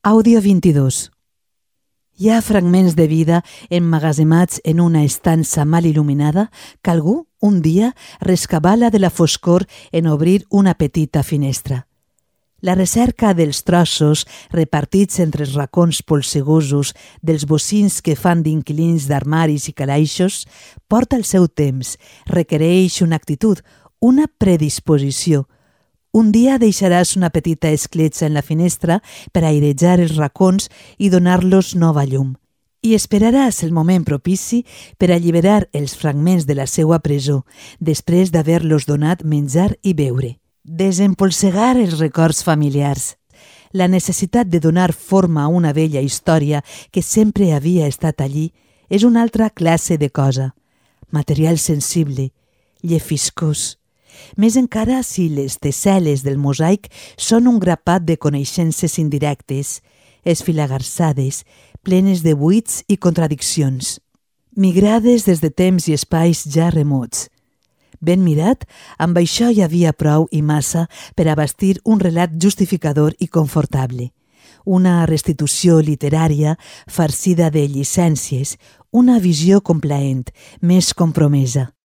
Àudio 22. Hi ha fragments de vida emmagatzemats en una estança mal il·luminada que algú, un dia, rescabala de la foscor en obrir una petita finestra. La recerca dels trossos repartits entre els racons polsegosos dels bocins que fan d'inquilins d'armaris i calaixos porta el seu temps, requereix una actitud, una predisposició. Un dia deixaràs una petita escletxa en la finestra per airejar els racons i donar-los nova llum. I esperaràs el moment propici per alliberar els fragments de la seua presó, després d'haver-los donat menjar i beure. Desempolsegar els records familiars. La necessitat de donar forma a una vella història que sempre havia estat allí és una altra classe de cosa. Material sensible, llefiscós. Més encara si les tessel·les del mosaic són un grapat de coneixences indirectes, esfilagarsades, plenes de buits i contradiccions, migrades des de temps i espais ja remots. Ben mirat, amb això hi havia prou i massa per a bastir un relat justificador i confortable, una restitució literària farcida de llicències, una visió complaent, més compromesa.